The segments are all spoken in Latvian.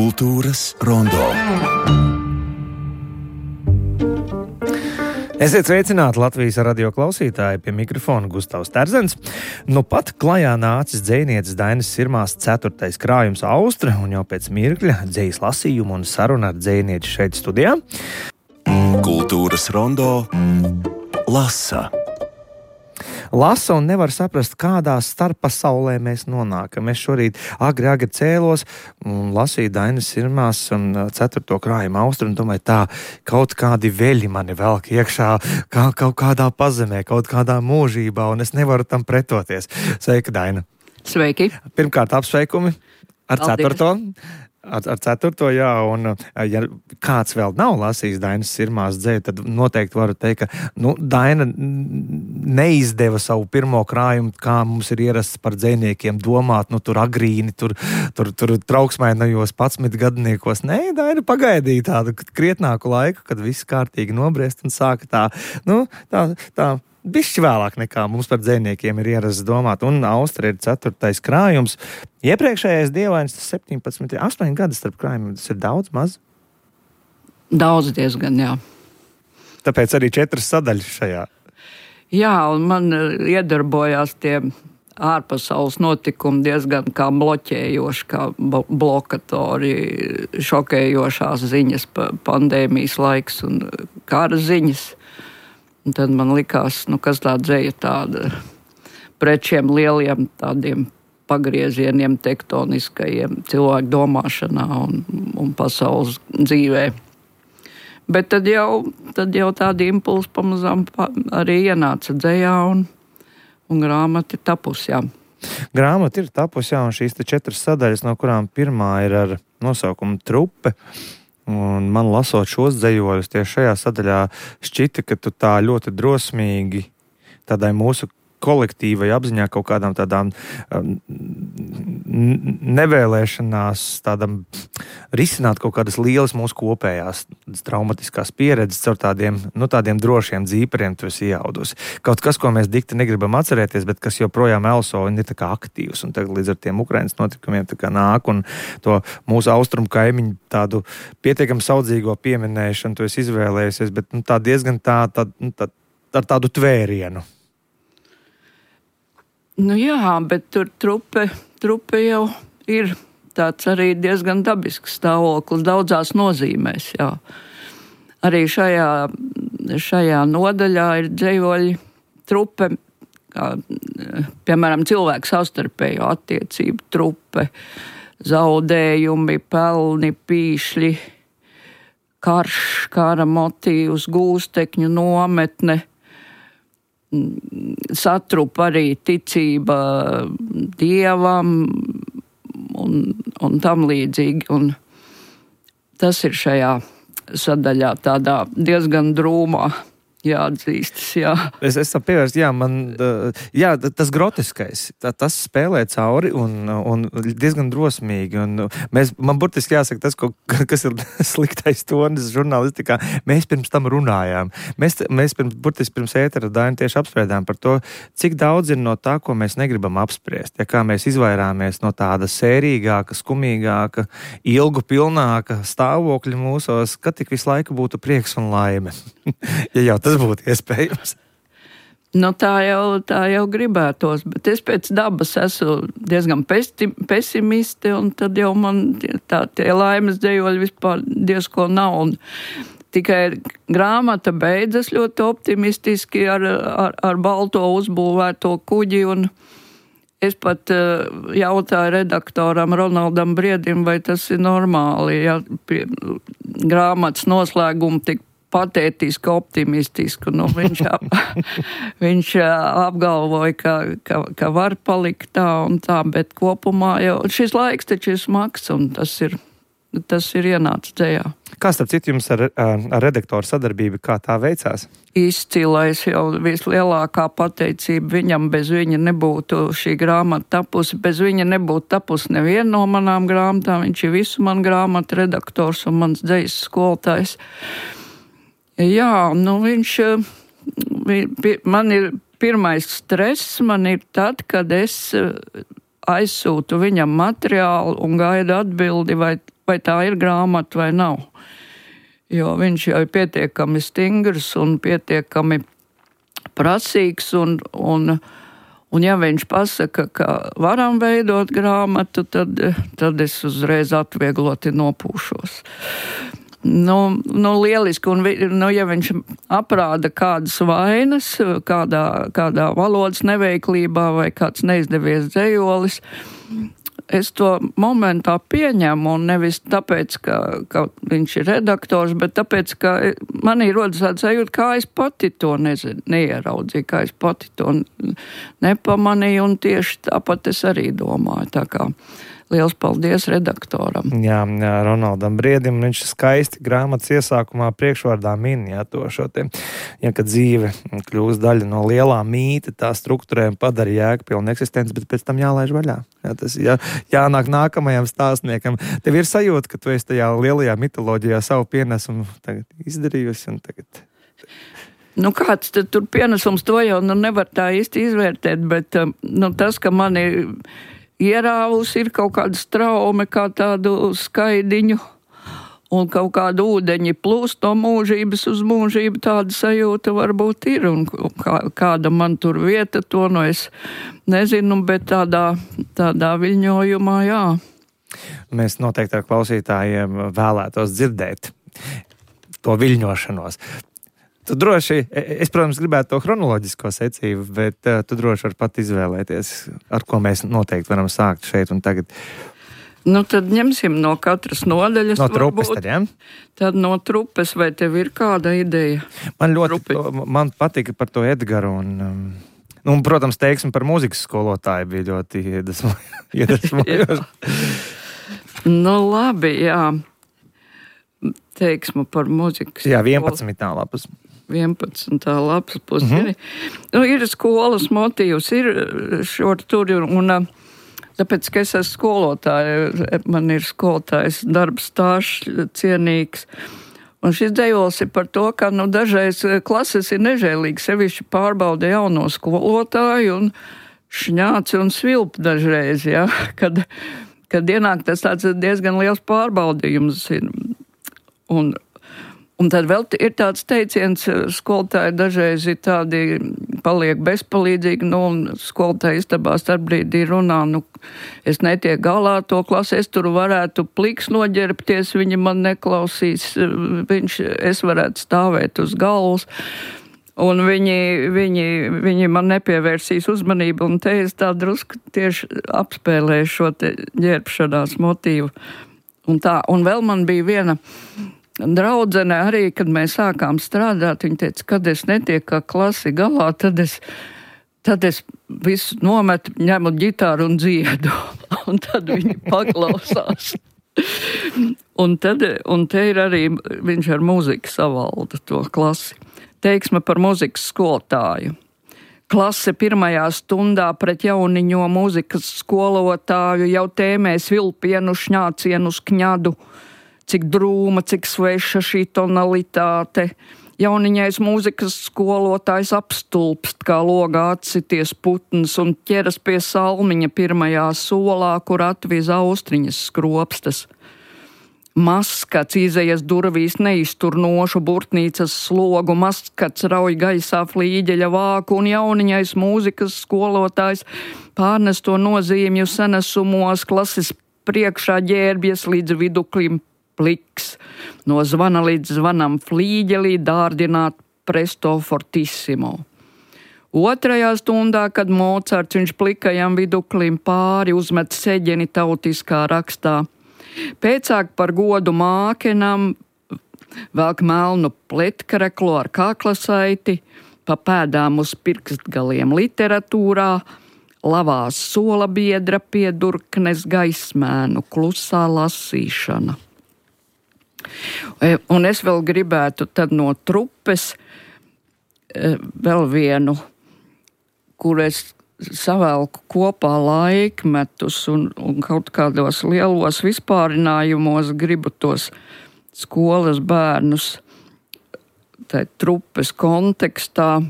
Kultūras rondo. Esiet sveicināti Latvijas radio klausītāji, pie mikrofona Gustavs Terzens. Nu pat klajā nācis dzejnieces Dainas Sirmās 4. krājums Austra, un jau pēc mirkļa dzejas lasījumu un saruna ar dzejnieci šeit studijā. Kultūras rondo lasa. Lasa un nevar saprast, kādā starppasaulē mēs nonākam. Es šorīt agri cēlos un lasīju Dainas Sirmās 4. krājuma Austra, un domāju, tā kaut kādi veļi mani velk iekšā kaut kādā pazemē, kaut kādā mūžībā, un es nevaru tam pretoties. Sveika, Daina! Sveiki! Pirmkārt, apsveikumi ar 4. Ar 4. jā, un ja kāds vēl nav lasījis Dainas Sirmās dzeju, tad noteikti varu teikt, ka Daina neizdeva savu pirmo krājumu, kā mums ir ierasts par dzejniekiem domāt, tur agrīni, tur trauksmainajos 11 gadniekos. Nē, Daina pagaidīja tādu krietnāku laiku, kad viss kārtīgi nobriest un sāka tā bišķi vēlāk nekā mums par dzejniekiem ir ierasts domāt, un Austra ir 4. krājums. Iepriekšējais dievains 17, 8 gadi starp krājumiem, tas ir daudz, maz? Daudz diezgan, jā. Tāpēc arī 4 sadaļas šajā. Jā, un man iedarbojās tie ārpasaules notikumi diezgan kā bloķējoši, kā blokatori, šokējošās ziņas, pandēmijas laiks un kara ziņas. Un tad man likās, kas tā dzeja tāda pret šiem lieliem tādiem pagriezieniem, tektoniskajiem cilvēku domāšanā un pasaules dzīvē. Bet tad jau tādi impulsi pamazām arī ienāca dzejā un grāmata ir tapusi, jā. Grāmata ir tapusi, jā, un šīs 4 sadaļas, no kurām pirmā ir ar nosaukumu Trupe. Un man lasot šos dzejoļus tieši šajā sadaļā šķita, ka tu tā ļoti drosmīgi tādai mūsu kolektīvai apziņā kaut kādām tādām nevēlēšanās tādam risināt kaut kādas lielas mūsu kopējās traumatiskās pieredzes caur tādiem drošiem dzīperiem tu esi iejaudusi. Kaut kas, ko mēs dikti negribam atcerēties, bet kas joprojām elso un ir tā kā aktīvs. Un tagad līdz ar tiem Ukrainas notikumiem tā kā nāk un to mūsu austrumu kaimiņu tādu pietiekami saudzīgo pieminēšanu tu esi izvēlējusies, bet tā diezgan ar tādu tvērienu. Jā, bet tur trupe jau ir tāds arī diezgan dabisks stāvoklis daudzās nozīmēs, jā. Arī šajā nodaļā ir dzejoļi trupe, kā, piemēram, cilvēku savstarpējo attiecību trupe, zaudējumi, pelni, pīšļi, karš, kara motīvs, gūstekņu nometne, satrupa arī ticība dievam un tam līdzīgi. Un tas ir šajā sadaļā tādā diezgan drūmā jāatzīstas, jā. Es tam pievērstu, tas groteskais, tas spēlē cauri un diezgan drosmīgi. Un man burtiski jāsaka tas, kas ir sliktais tonis žurnālistikā. Mēs pirms tam runājām. Mēs pirms ētera Dainu tieši apspriedām par to, cik daudz ir no tā, ko mēs negribam apspriest. Ja kā mēs izvairāmies no tāda sērīgāka, skumīgāka, ilgu pilnāka stāvokļa mūsos, ka tik visu laiku būtu prieks un laime. Ja jau tas būtu iespējams. Tā jau gribētos, bet es pēc dabas esmu diezgan pesimiste, un tad jau man tie laimes dzejoļi vispār diezko nav. Un tikai grāmata beidzas ļoti optimistiski ar balto uzbūvēto kuģi, un es pat jautāju redaktoram Ronaldam Briedim, vai tas ir normāli, ja grāmatas noslēgumu tik patētiski, optimistiski. Viņš apgalvoja, ka var palikt tā un tā, bet kopumā jau šis laiks taču ir smags, un tas ir ienācis dzejā. Kā starp citu jums ar redaktoru sadarbību, kā tā veicās? Izcilais, jau vislielākā pateicība viņam, bez viņa nebūtu šī grāmata tapusi, bez viņa nebūtu tapusi neviena no manām grāmatām, viņš ir visu man grāmatu redaktors un mans dzejas skolotājs. Jā, man ir pirmais stress, man ir tad, kad es aizsūtu viņam materiālu un gaidu atbildi, vai vai tā ir grāmata vai nav. Jo viņš jau ir pietiekami stingrs un pietiekami prasīgs, un ja viņš pasaka, ka varam veidot grāmatu, tad es uzreiz atviegloti nopūšos. Lieliski, un ja viņš aprāda kādas vainas, kādā valodas neveiklībā vai kāds neizdevies dzejolis, es to momentā pieņemu, un nevis tāpēc, ka viņš ir redaktors, bet tāpēc, ka manī rodas tāds sajūta, kā es pati to neieraudzīju, kā es pati to nepamanīju, un tieši tāpat es arī domāju. Tā kā liels paldies redaktoram. Jā, Ronaldam Briedim, viņš skaisti grāmatas iesākumā priekšvārdā min, šo te, kad dzīve kļūst daļa no lielā mīta, tā struktūrē padara jēgpilnu eksistenci, bet pēc tam jālaiž vaļā. Tas jānāk nākamajam stāstniekam. Tev ir sajūta, ka tu esi tajā lielajā mitoloģijā savu pienesumu tagad izdarījusi un tagad... Kāds tad tur pienesums, to jau nevar tā īsti izvērtēt, bet tas, ka mani ierāvusi ir kaut kāda straume, kā tādu skaidiņu, un kaut kāda ūdeņi plūst no mūžības uz mūžību, tāda sajūta varbūt ir, un kāda man tur vieta, to es nezinu, bet tādā viļņojumā, jā. Mēs noteikti ar klausītājiem vēlētos dzirdēt to viļņošanos. Tu droši, es, protams, gribētu to chronoloģisko secību, bet tu droši vari pat izvēlēties, ar ko mēs noteikti varam sākt šeit un tagad. Tad ņemsim no katras nodaļas. No trupes tad, ja? Tad no trupes, vai tev ir kāda ideja? Man patika par to Edgaru un protams, teiksim par mūzikas skolotāju bija ļoti iedvesmojoši. Labi, jā. Teiksmu par mūzikas. Jā, 11. lapas. 11. lapas pusi. Ir skolas motīvs, ir šur tur, un tāpēc, ka es esmu skolotāja, man ir skolotājs darbs stāsts cienīgs. Un šis dejols ir par to, ka dažreiz klases ir nežēlīgi, sevišķi pārbauda jauno skolotāju un šņāci un svilp dažreiz, ja? Kad ienāk tas tāds diezgan liels pārbaudījums ir. Un tad vēl ir tāds teiciens, skolotāji dažreiz ir tādi paliek bezpalīdzīgi, un skolotāji istabā starpbrīdī runā, es netieku galā to klasi, es tur varētu pliks noģerbties, viņi man neklausīs, es varētu stāvēt uz galvas, un viņi man nepievērsīs uzmanību, un te es tā drusku tieši apspēlēju šo te ģērbšanās motīvu. Un vēl man bija viena draudzene arī, kad mēs sākām strādāt, viņa teica, kad es netieku kā klasi galā, tad es visu nometu, ņemu ģitāru un dziedu. Un tad viņi paklausās. un te ir arī, viņš ar mūziku savalda to klasi. Teiksme par mūzikas skolotāju. Klase pirmajā stundā pret jauniņo mūzikas skolotāju jau tēmē svilpienu, šņācienu uz kņadu. Cik drūma, cik sveša šī tonalitāte. Jauniņais mūzikas skolotājs apstulpst, kā logā atsities putns un ķeras pie salmiņa pirmajā solā, kur atviz austriņas skropstas. Maskats izejas durvīs neiztur nošu burtnīcas slogu, maskats rauj gaisā flīģeļa vāku un jauniņais mūzikas skolotājs pārnes to nozīmju senesumos, klases priekšā ģērbjas līdz viduklim pliks, no zvana līdz zvanam flīģelī dārdināt presto fortissimo. Otrajā stundā, kad Mocarts viņš plikajam viduklim pāri uzmet seģeni tautiskā rakstā. Pēcāk par godu mākenam velk melnu pletkareklu ar kaklasaiti, pa pēdām uz pirkstgaliem literatūrā, lavās sola biedra piedurknes gaismēnu, klusā lasīšana. Un es vēl gribētu tad no trupes vēl vienu, kur es savelku kopā laikmetus un kaut kādos lielos vispārinājumos gribu tos skolas bērnus tai trupes kontekstā,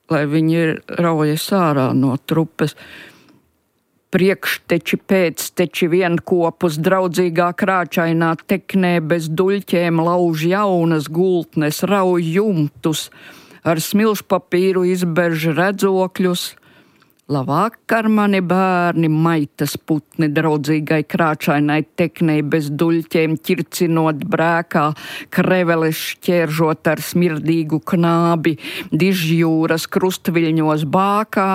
lai viņi raujas ārā no trupes. Priekšteči pēcteči vienkopus draudzīgā krāčainā teknē bez duļķēm lauž jaunas gultnes, rauj jumtus, ar smilšpapīru izberž redzokļus. Labvakar, mani bērni, maitas putni draudzīgai krāčainai teknei bez duļķēm ķircinot brēkā, kreveles šķēržot ar smirdīgu knābi, dižjūras krustviļņos bākā,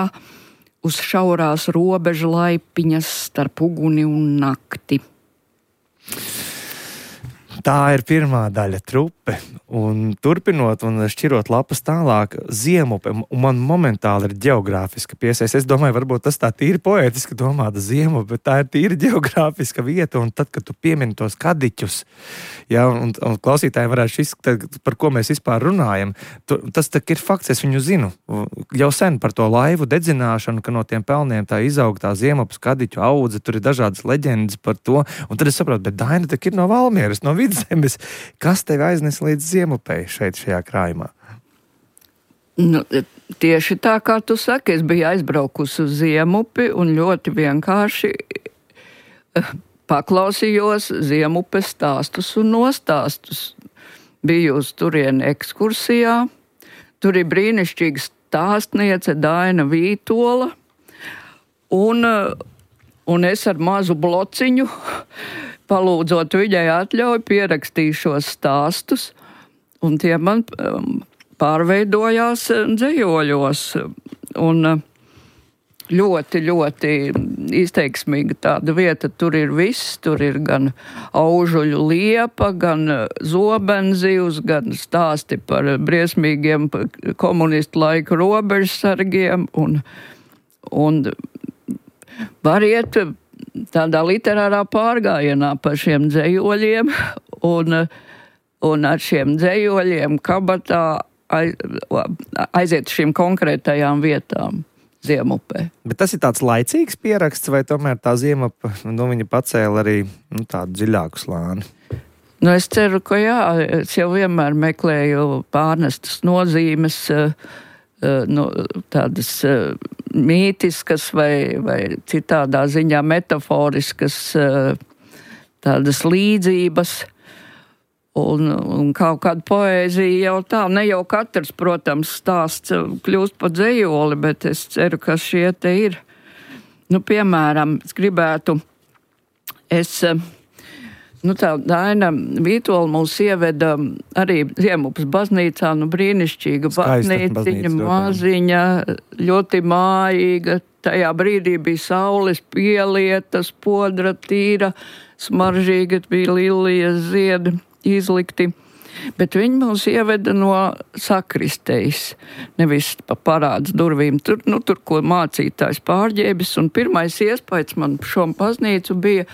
uz šaurās robežu laipiņas starp uguni un nakti. Tā ir pirmā daļa trupe, un turpinot un šķirot lapas tālāk, ziemupe, un man momentāli ir ģeogrāfiska piesaiste. Es domāju, varbūt tas tā tīri poētiski domāta ziemupe, bet tā ir tīri ģeogrāfiska vieta, un tad, kad tu piemini tos kadiķus, ja, un klausītāji varētu izskatīt, par ko mēs vispār runājam, tas tak ir fakts, es viņu zinu, jau sen par to laivu dedzināšanu, ka no tiem pelniem tā izaug tā ziemupes kadiķu audze, tur ir dažādas leģendas par to, un tad es saprotu, bet Daina tak ir no Valmieras, no Vidzemes, kas tevi aiznes līdz ziemupei šeit šajā krājumā? Nu, tieši tā, kā tu saki, es biju aizbraukusi uz Ziemupi un ļoti vienkārši paklausījos Ziemupes stāstus un nostāstus. Biju uz turieni ekskursijā, tur ir brīnišķīga stāstniece Daina Vītola, un es ar mazu blociņu, palūdzot viņai atļauju, pierakstīju šos stāstus, un tie man pārveidojās dzejoļos. Un ļoti, ļoti izteiksmīga tāda vieta. Tur ir viss, tur ir gan aužuļu liepa, gan zobenzivs, gan stāsti par briesmīgiem komunistu laiku robežsargiem, un var iet tādā literārā pārgājienā par šiem dzejoļiem, un ar šiem dzejoļiem kabatā aiziet šīm konkrētajām vietām Ziemupē. Bet tas ir tāds laicīgs pieraksts, vai tomēr tā Ziemupe, viņa pacēla arī tādu dziļāku slāni? Es ceru, ka jā, es jau vienmēr meklēju pārnestas nozīmes, tādas mītiskas vai citādā ziņā metaforiskas tādas līdzības un kaut kāda poēzija jau tā. Ne jau katrs, protams, stāsts kļūst par dzejoli, bet es ceru, ka šie te ir. Piemēram, es gribētu, tā Daina Vītola mūs ieveda arī Ziemupes baznīcā, brīnišķīga baznīciņa, maziņa, ļoti mājīga. Tajā brīdī bija saules pielieta, spodra tīra, smaržīga, bija lilijas ziedi izlikti. Bet viņi mūs ieveda no sakristejas, nevis pa parāds durvīm. Tur, ko mācītājs pārģēbis, un pirmais iespējas man šo baznīcu bija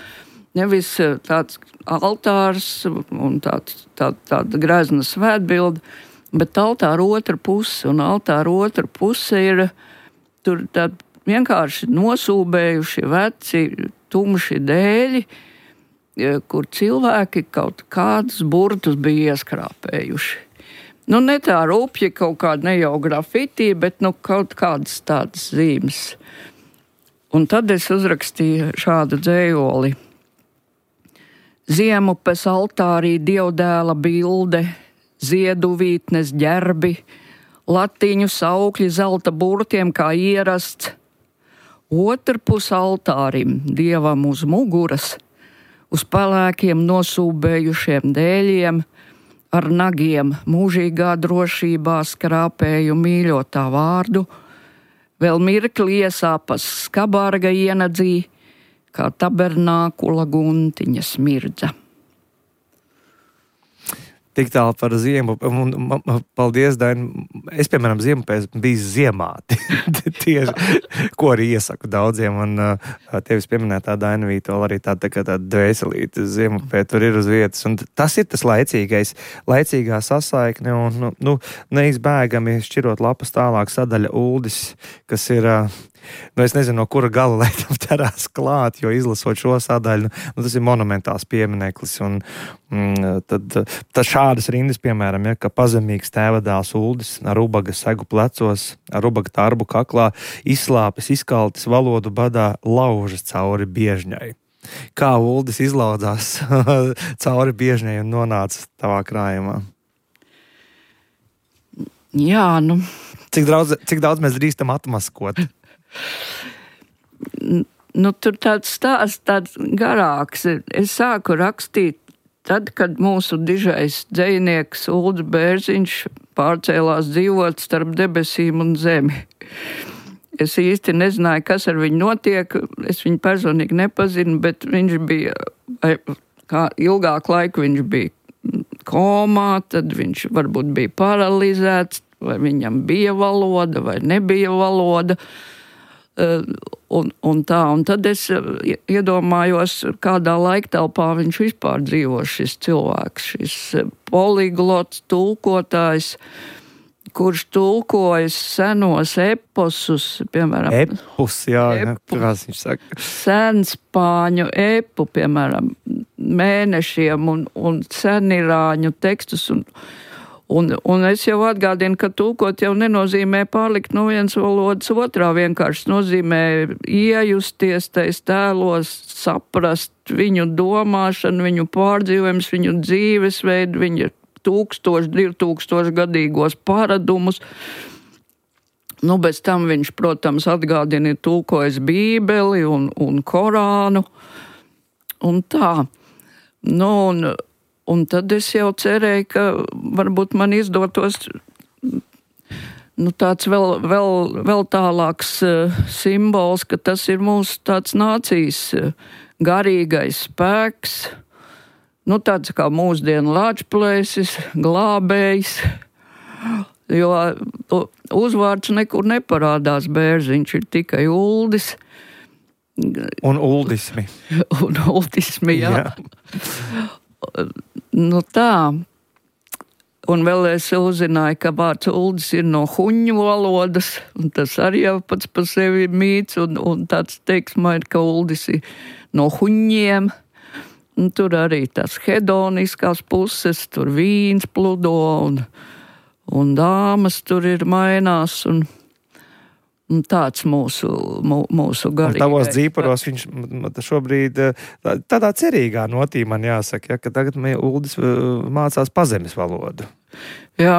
nevis tāds altārs un tāda grezna svētbilde, bet altāra otra puse, un altāra otra puse ir tur tādi vienkārši nosūbējuši veci, tumši dēļi, kur cilvēki kaut kādus burtus bija ieskrāpējuši. Ne tā rupji kaut kāda ne jau grafitī, bet kaut kādas tādas zīmes. Un tad es uzrakstīju šādu dzējoli. Ziemupes altārī dievdēla bilde, zieduvītnes ģerbi, latiņu saukļi zelta burtiem kā ierasts. Otrpus altārim dievam uz muguras, uz pelēkiem nosūbējušiem dēļiem, ar nagiem mūžīgā drošībā skrāpēju mīļotā vārdu, vēl mirkli iesāpas skabārga ienadzī, kā tabernākula guntiņa smirdza. Tik tālu par Ziemupi. Paldies, Daina. Es, piemēram, Ziemupē biju ziemāti. Tieši, ko arī iesaku daudziem. Un tevis pieminētā Daina Vītola arī tāda dvēselīte Ziemupē tur ir uz vietas. Un tas ir tas laicīgā sasaikne un neizbēgami šķirot lapas tālāk sadaļa Uldis, kas ir Nu, es nezinu, no kura gala lai tam ķerās klāt, jo izlasot šo sadaļu, tas ir monumentāls piemineklis. Un tad šādas rindas, piemēram, ka pazemīgs tēvadēls Uldis ar ubaga segu plecos, ar ubaga tarbu kaklā, izslāpis, izkaltis valodu badā, laužas cauri biežņai. Kā Uldis izlaudzās cauri biežņai un nonāca tavā krājumā? Jā, nu. Cik daudz mēs drīkstam atmaskot? Nu, tur tāds stāsts, tāds garāks. Es sāku rakstīt tad, kad mūsu dižais dzejnieks Uldis Bērziņš pārcēlās dzīvot starp debesīm un zemi. Es īsti nezināju, kas ar viņu notiek. Es viņu personīgi nepazinu, bet viņš bija, kā ilgāku laiku viņš bija komā, tad viņš varbūt bija paralizēts, vai viņam bija valoda, vai nebija valoda. Un tad es iedomājos, kādā laiktelpā viņš vispār dzīvo šis cilvēks, šis poliglots, tulkotājs, kurš tulkojas senos eposus, piemēram. Epus, jā, kurās viņš saka. Senspāņu epu, piemēram, mēnešiem un senirāņu tekstus. Un es jau atgādinu, ka tulkot jau nenozīmē pārlikt no vienas valodas otrā, vienkārši nozīmē iejusties tais tēlos, saprast viņu domāšanu, viņu pārdzīvojumus, viņu dzīvesveidu, viņa 1000-2000 gadīgos paradumus. Nu, bez tam viņš, protams, atgādina tulkojas Bībeli un Korānu un tā. Nu, un tad es jau cerēju, ka varbūt man izdotos tāds vēl tālāks simbols, ka tas ir mūsu tāds nācijas garīgais spēks. Nu, tāds kā mūsdienu Lāčplēsis, glābējs, jo uzvārds nekur neparādās Bērziņš, ir tikai Uldis. Un uldismi. Un uldismi, jā. Nu tā. Un vēl es uzzināju, ka vārds Uldis ir no huņu valodas, un tas arī jau pats par sevi ir mīts, un tāds teiksmā ir, ka Uldis ir no huņiem. Un tur arī tās hedoniskās puses, tur vīns pludo un dāmas tur ir mainās un tāds mūsu garīgais. Tavos dzīparos viņš šobrīd tādā cerīgā notī man jāsaka, ka tagad Uldis mācās pazemes valodu. Jā,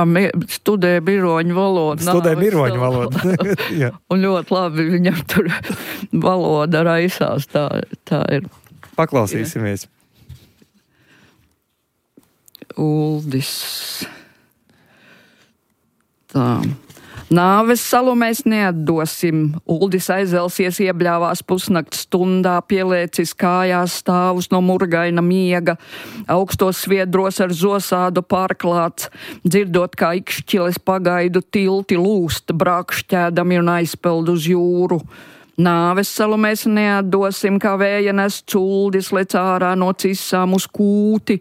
studē biroņu valodu. Studē biroņu valodu. Un ļoti labi viņam tur valoda raisās, tā ir. Paklausīsimies. Uldis. Tā. Nāves salu mēs neatdosim. Uldis aizelsies iebļāvās pusnakts stundā, pielēcis kājās stāvus no murgaina miega, augstos sviedros ar zosādu pārklāts, dzirdot, kā ikšķiles pagaidu tilti lūst, brākšķēdami un aizpeld uz jūru. Nāves salu mēs neatdosim, kā vēja nes Uldis lec ārā no cisām uz kūti,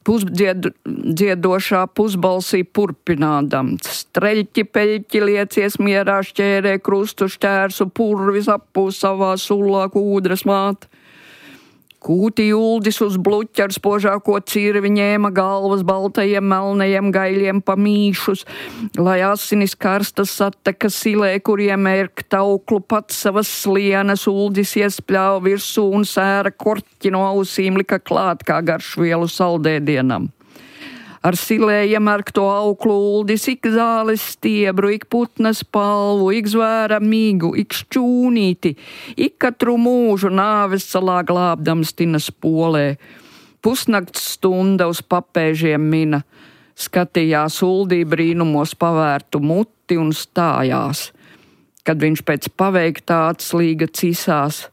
dziedošā pusbalsī purpinādams. Streļķi, peļķi liecies mierā šķērē krustu šķērsu, purvis appūs savā sulā kūdras māt. Kūti Uldis uz bluķa ar spožāko cirvi ņēma galvas baltajiem melnajiem gaļiem pamīšus, lai asinis karstas atteka silē, kuriem ērkt auklu pats savas slienas. Uldis iespļāva virsū un sēra korķi no ausīm lika klāt kā garšvielu saldēdienam. Ar silē iemērkto auklu Uldis ik zāles stiebru, ik putnas palvu, ik zvēra mīgu, ik šķūnīti, ik katru mūžu nāves salā glābdams tinas polē. Pusnakts stunda uz papēžiem mina, skatījās Uldī brīnumos pavērtu muti un stājās. Kad viņš pēc paveiktā atslīga cisās,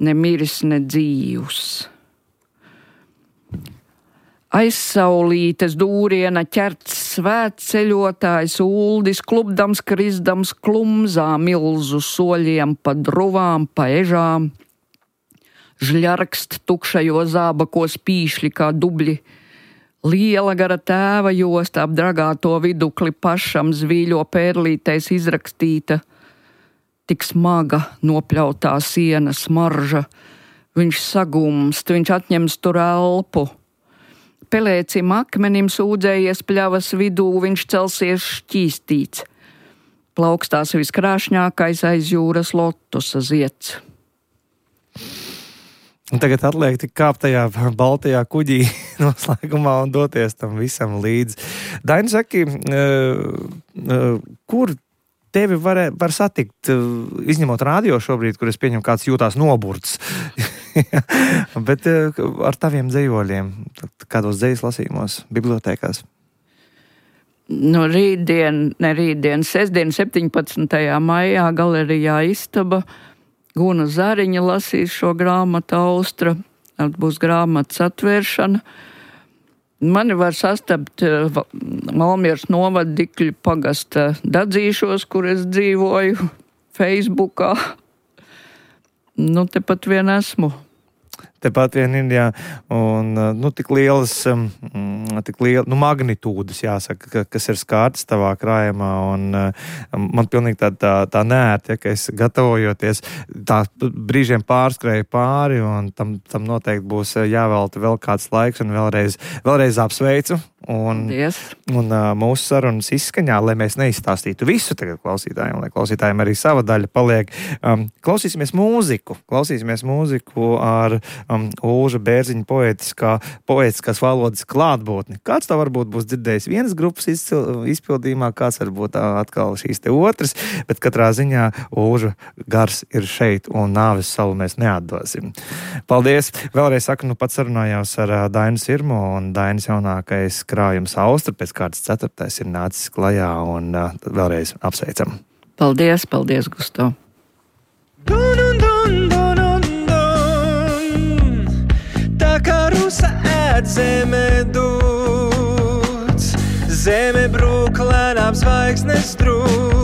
ne miris, ne dzīvs. Aizsaulītes dūriena ķerts svētceļotājs Uldis, klubdams, krizdams klumzā milzu soļiem pa druvām, pa ežām. Žļarkst tukšajo zābakos pīšļi kā dubļi. Liela gara tēva josta ap dragāto vidukli pašam zvīļo pērlītais izrakstīta. tik smaga nopļautā siena smarža. Viņš sagumst, viņš atņems tur elpu. Pelēcim akmenim sūdzējies pļavas vidū, viņš celsies šķīstīts. Plaukstās viskrāšņākais aiz jūras lotusa zieds. Un tagad atliek tik kāpt tajā baltajā kuģī noslēgumā un doties tam visam līdzi. Daini, saki, kur tevi var satikt, izņemot radio šobrīd, kur es pieņemu kāds jūtās noburts, bet ar taviem dzejoļiem, kādos dzejas lasījumos, bibliotēkās? No sestdien 17. maijā galerijā Istaba Guna Zariņa lasīs šo grāmatu Austra, tad būs grāmatas atvēršana. Mani var sastapt Valmieras novada Dikļu pagasta Dadzīšos, kur es dzīvoju, Facebookā. Tepat vien esmu. Tepat vien ir, jā, un tik lielas magnitūdas, jāsaka, kas ir skārtas tavā krājumā, un man pilnīgi tā neērti, ka es gatavojoties, tā brīžiem pārskrēju pāri, un tam noteikti būs jāvelta vēl kāds laiks, un vēlreiz apsveicu, un mūsu sarunas izskaņā, lai mēs neizstāstītu visu tagad klausītājiem, lai klausītājiem arī sava daļa paliek. Klausīsimies mūziku ar Ulža Bērziņa poētiskās valodas klātbūtni. Kāds tā varbūt būs dzirdējis vienas grupas izpildījumā, kāds varbūt atkal šīs te otras, bet katrā ziņā Ulža gars ir šeit, un nāves salu mēs neatdosim. Paldies! Vēlreiz saku, pats sarunājos ar Dainu Sirmu, un Dainas jaunākais krājums Austra pēc kārtas 4. ir nācis klajā, un vēlreiz apsveicam. Paldies, Gusto! Tā kā rusa ēd zeme dūts, zeme brūk lēnām zvaigznes drūts.